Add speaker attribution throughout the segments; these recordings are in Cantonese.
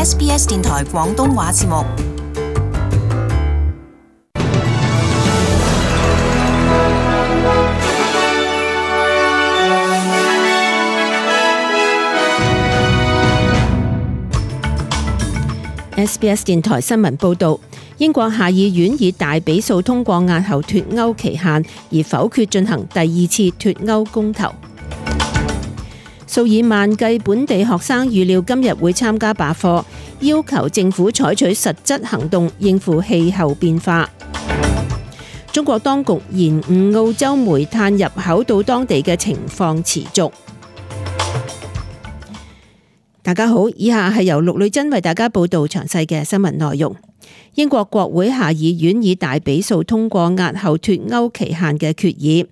Speaker 1: SBS 電台廣東話節目。
Speaker 2: SBS 電台新聞報導，英國下議院以大比數通過押後脫歐期限，而否決進行第二次脫歐公投。數以萬計本地學生預料今日會參加罷課，要求政府採取實質行動應付氣候變化。中國當局延誤澳洲煤炭入口到當地嘅情況持續。大家好，以下係由陸女珍為大家報道詳細嘅新聞內容。英國國會下議院以大比數通過押後脫歐期限嘅決議，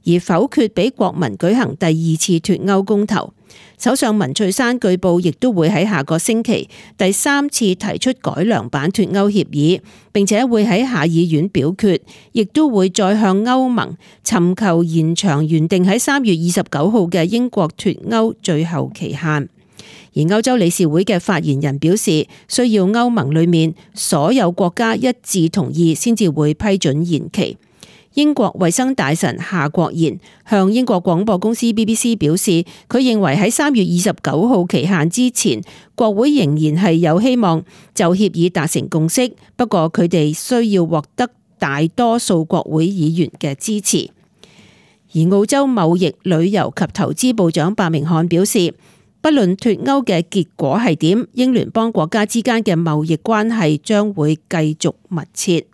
Speaker 2: 而否決俾國民舉行第二次脫歐公投。首相文翠珊據報亦都會喺下個星期第三次提出改良版脫歐協議，並且會喺下議院表決，亦都會再向歐盟尋求延長原定喺3月29號嘅英國脫歐最後期限。而歐洲理事會嘅發言人表示，需要歐盟裏面所有國家一致同意先至會批准延期。英國衛生大臣夏國賢向英國廣播公司 BBC 表示，佢認為喺3月29號期限之前，國會仍然係有希望就協議達成共識，不過佢哋需要獲得大多數國會議員嘅支持。而澳洲貿易、旅遊及投資部長白明漢表示，不論脫歐嘅結果係點，英聯邦國家之間嘅貿易關係將會繼續密切。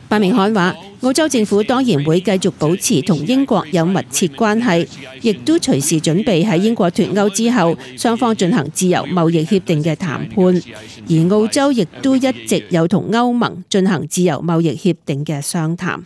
Speaker 2: 白明漢話，澳洲政府當然會繼續保持同英國有密切關係，亦都隨時準備喺英國脫歐之後，雙方進行自由貿易協定嘅談判。而澳洲亦都一直有同歐盟進行自由貿易協定嘅商談。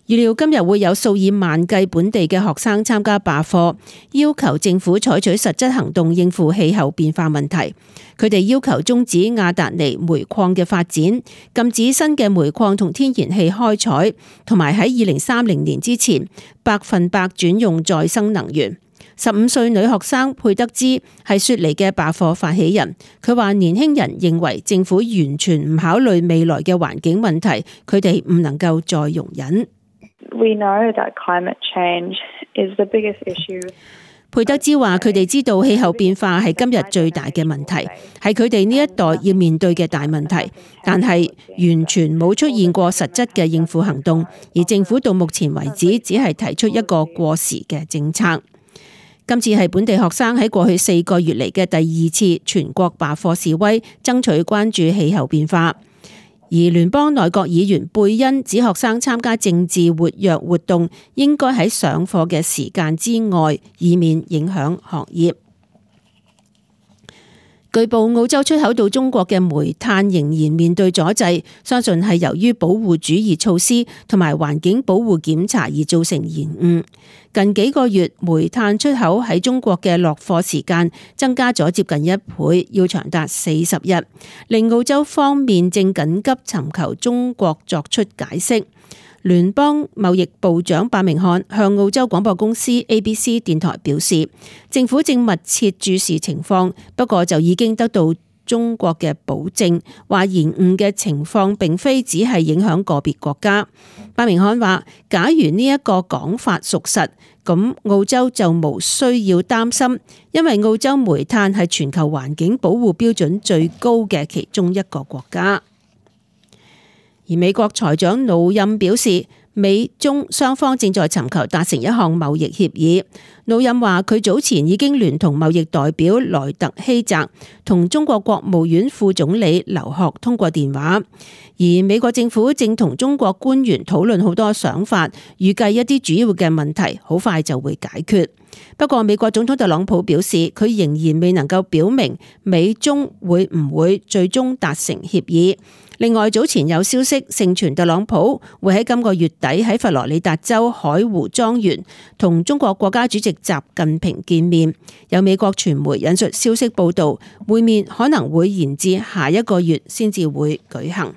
Speaker 2: 預料今日會有數以萬計本地嘅學生參加罷課，要求政府採取實質行動應付氣候變化問題。佢哋要求終止亞達尼煤礦嘅發展，禁止新嘅煤礦同天然氣開採，同埋喺2030年之前100%轉用再生能源。15歲女學生佩德茲係雪梨嘅罷課發起人，佢話年輕人認為政府完全唔考慮未來嘅環境問題，佢哋唔能夠再容忍。
Speaker 3: We know that climate change is the biggest issue.
Speaker 2: 佩德茲話：佢哋知道氣候變化係今日最大嘅問題，係佢哋呢一代要面對嘅大問題，但係完全冇出現過實質嘅應付行動，而政府到目前為止只係提出一個過時嘅政策。今次係本地學生喺過去4個月嚟嘅第2次全國罷課示威，爭取關注氣候變化。而聯邦內閣議員貝恩指學生參加政治活躍活動應該喺上課嘅時間之外，以免影響學業。據報澳洲出口到中國嘅煤炭仍然面對阻滯，相信係由於保護主義措施同埋環境保護檢查而造成延誤。近幾個月，煤炭出口喺中國嘅落貨時間增加咗接近1倍，要長達40日，令澳洲方面正緊急尋求中國作出解釋。聯邦貿易部長白明漢向澳洲廣播公司 ABC 電台表示，政府正密切注視情況，不過就已經得到中國嘅保證，話延誤嘅情況並非只係影響個別國家。白明漢話，假如呢一個講法屬實，咁澳洲就無需要擔心，因為澳洲煤炭係全球環境保護標準最高嘅其中一個國家。而美國財長努欽表示，美中雙方正在尋求達成一項貿易協議。努欽話，佢早前已經聯同貿易代表萊特希澤同中國國務院副總理劉鶴通過電話，而美國政府正同中國官員討論好多想法，預計一啲主要嘅問題好快就會解決。不過美國總統特朗普表示，佢仍然未能夠表明美中會唔會最終達成協議。另外，早前有消息盛傳特朗普會喺今個月底喺佛羅里達州海湖莊園同中國國家主席習近平見面。有美國傳媒引述消息報道，會面可能會延至下一個月先至會舉行。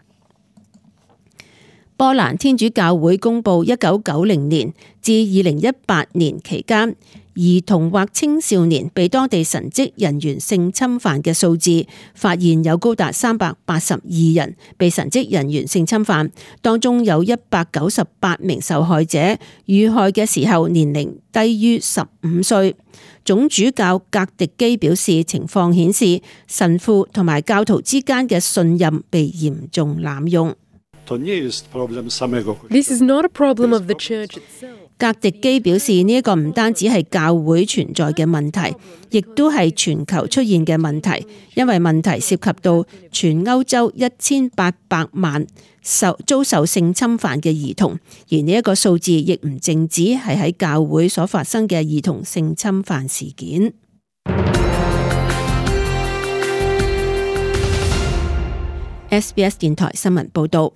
Speaker 2: 波蘭天主教會公佈1990年至2018年期間，兒童或青少年被當地神職人員性侵犯嘅數字，發現有高達382人被神職人員性侵犯，當中有198名受害者遇害嘅時候年齡低於15歲。總主教格迪基表示，情況顯示神父同埋教徒之間嘅信任被嚴重濫用。
Speaker 4: This is not a problem of the church itself.
Speaker 2: 格迪基表示，呢一個唔單止係教會存在嘅問題，亦都係全球出現嘅問題，因為問題涉及到全歐洲1800萬遭受性侵犯嘅兒童，而呢一個數字亦唔淨止係喺教會所發生嘅兒童性侵犯事件。SBS 電台新聞報道。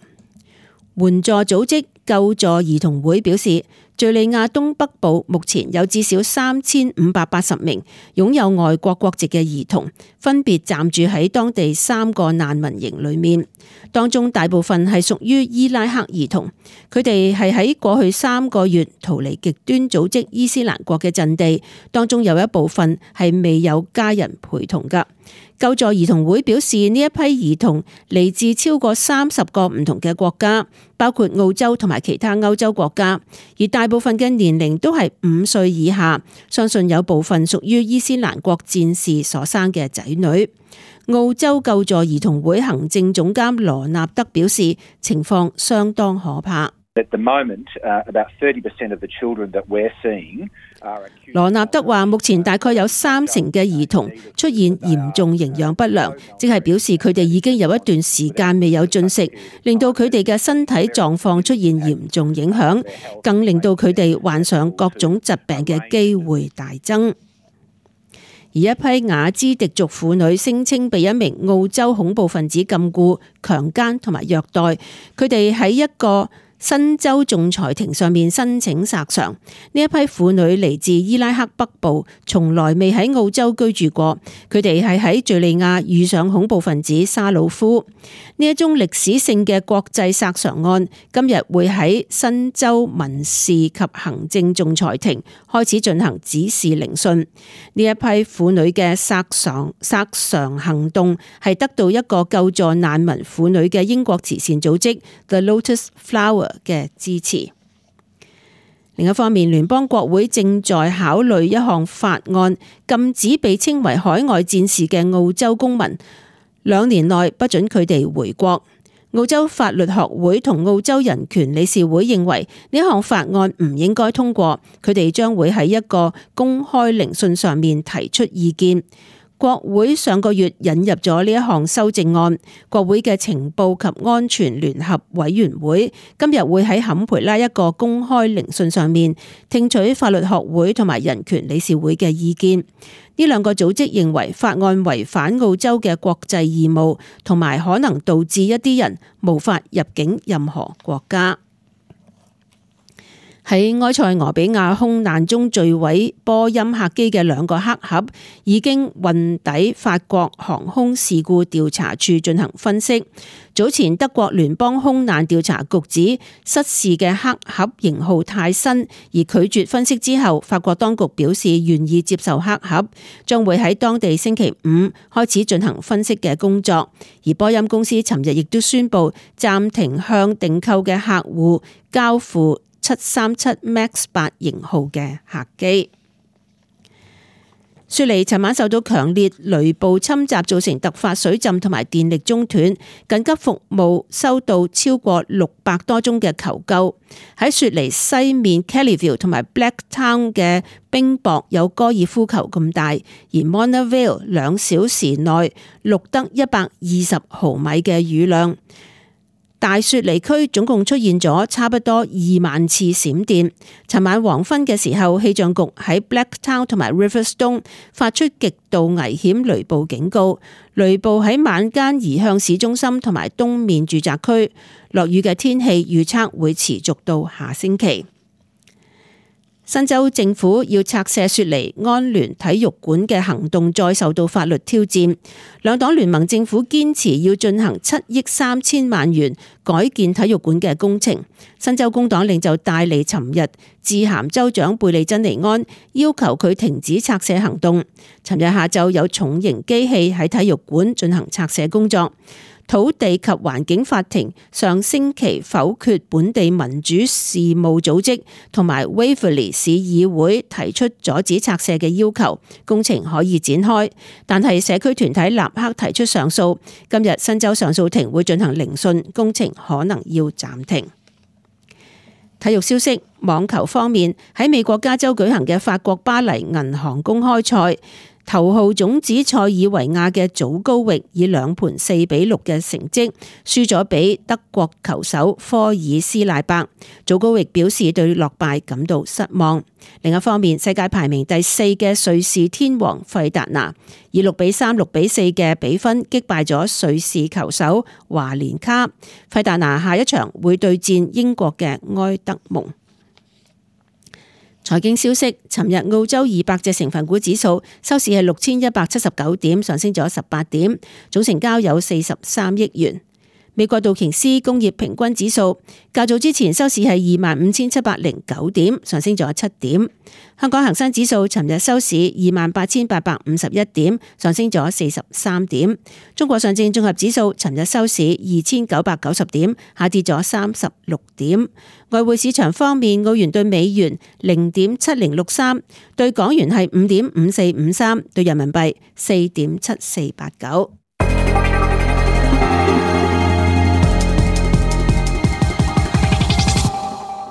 Speaker 2: 援助組織救助兒童會表示，敘利亞東北部目前有至少3580名擁有外國國籍嘅兒童，分別暫住喺當地3個難民營裏面，當中大部分係屬於伊拉克兒童，佢哋係喺過去3個月逃離極端組織伊斯蘭國嘅陣地，當中有一部分係未有家人陪同㗎。救助兒童會表示，呢一批兒童嚟自超過30個唔同嘅國家，包括澳洲同埋其他歐洲國家，而大部分嘅年齡都係5歲以下，相信有部分屬於伊斯蘭國戰士所生嘅仔女。澳洲救助兒童會行政總監羅納德表示，情況相當可怕。
Speaker 5: At the moment, about 30% of the children that we're seeing are acute.
Speaker 2: 羅納德話，目前大概有30%嘅兒童出現嚴重營養不良，即係表示佢哋已經有一段時間未有進食，令到佢哋嘅身體狀況出現嚴重影響，更令到佢哋患上各種疾病嘅機會大增。而一批雅茲迪族婦女聲稱被一名澳洲恐怖分子禁錮、強姦同埋虐待，佢哋喺一個新州仲裁庭上面申請索償。呢一批婦女嚟自伊拉克北部，從來未喺澳洲居住過。佢哋係喺敘利亞遇上恐怖分子沙魯夫。呢一宗歷史性嘅國際索償案，今日會喺新州民事及行政仲裁庭開始進行指示聆訊。呢一批婦女嘅索償行動係得到一個救助難民婦女嘅英國慈善組織 The Lotus Flower嘅支持。另一方面，聯邦國會正在考慮一項法案，禁止被稱為海外戰士嘅澳洲公民2年內不准佢哋回國。澳洲法律學會同澳洲人權理事會認為呢項法案唔應該通過，佢哋將會喺一個公開聆訊上面提出意見。國會上個月引入咗呢一項修正案，國會嘅情報及安全聯合委員會今日會喺坎培拉一個公開聆訊上面聽取法律學會同埋人權理事會嘅意見。呢兩個組織認為法案違反澳洲嘅國際義務，同埋可能導致一啲人無法入境任何國家。喺埃塞俄比亞空難中墜毀波音客機嘅2個黑盒已經運抵法國航空事故調查處進行分析。早前德國聯邦空難調查局指失事嘅黑盒型號太新，而拒絕分析之後，法國當局表示願意接受黑盒，將會喺當地星期5開始進行分析嘅工作。而波音公司尋日亦都宣布暫停向訂購嘅客戶交付737 MAX 8型號嘅客機。雪梨尋晚受到強烈雷暴侵襲，造成突發水浸同埋電力中斷，緊急服務收到超過600多宗嘅求救。喺雪梨西面 Kellyville 同埋 Blacktown 嘅冰雹有高爾夫球咁大，而 Mona Vale 2小時內錄得120毫米嘅雨量。大雪梨區總共出現咗差不多2萬次閃電。尋晚黃昏嘅時候，氣象局喺 Blacktown 同埋 Riverstone 發出極度危險雷暴警告。雷暴喺晚間移向市中心同埋東面住宅區，落雨嘅天氣預測會持續到下星期。新州政府要拆卸雪梨安聯體育館嘅行動再受到法律挑戰，兩黨聯盟政府堅持要進行7億3千萬元改建體育館嘅工程。新州工黨領袖戴利尋日致函州長貝利珍尼安，要求佢停止拆卸行動。尋日下晝有重型機器喺體育館進行拆卸工作。土地及環境法庭上星期否決本地民主事務組織同埋 Waverley 市議會提出阻止拆卸嘅要求，工程可以展開。但係社區團體立刻提出上訴，今日新州上訴庭會進行聆訊，工程可能要暫停。體育消息，網球方面，喺美國加州舉行嘅法國巴黎銀行公開賽，頭號種子塞爾維亞嘅祖高域以2盤4-6嘅成績輸咗俾德國球手科爾斯賴伯。祖高域表示對落敗感到失望。另一方面，世界排名第4嘅瑞士天王費達拿以6-3、6-4嘅比分擊敗咗瑞士球手華連卡。費達拿下一場會對戰英國嘅埃德蒙。財經消息，尋日澳洲200隻成分股指數收市係6179點，上升咗18點，總成交有43億元。美國道瓊斯工業平均指數較早之前收市係25,709點，上升咗7點。香港恒生指數尋日收市28,851點，上升咗43點。中國上證綜合指數尋日收市2,990點，下跌咗36點。外匯市場方面，澳元對美元0.7063，對港元係5.5453，對人民幣4.7489。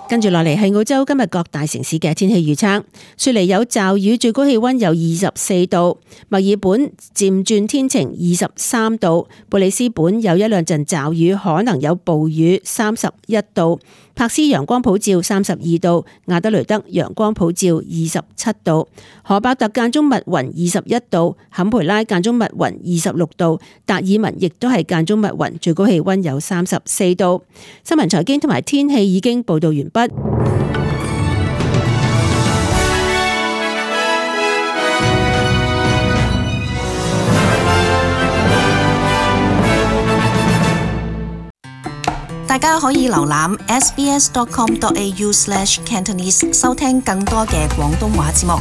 Speaker 2: 跟住落嚟係澳洲今日各大城市嘅天氣預測。雪梨有驟雨，最高氣溫有24度；墨爾本漸轉天晴23度；布里斯本有1、2陣驟雨，可能有暴雨31度；柏斯陽光普照32度；亞德雷德陽光普照27度；荷伯特間中密雲21度；坎培拉間中密雲26度；達爾文亦都係間中密雲，最高氣溫有34度。新聞財經同埋天氣已經報道完畢。
Speaker 1: 大家可以瀏覽 sbs.com.au/cantonese 收聽更多嘅廣東話節目。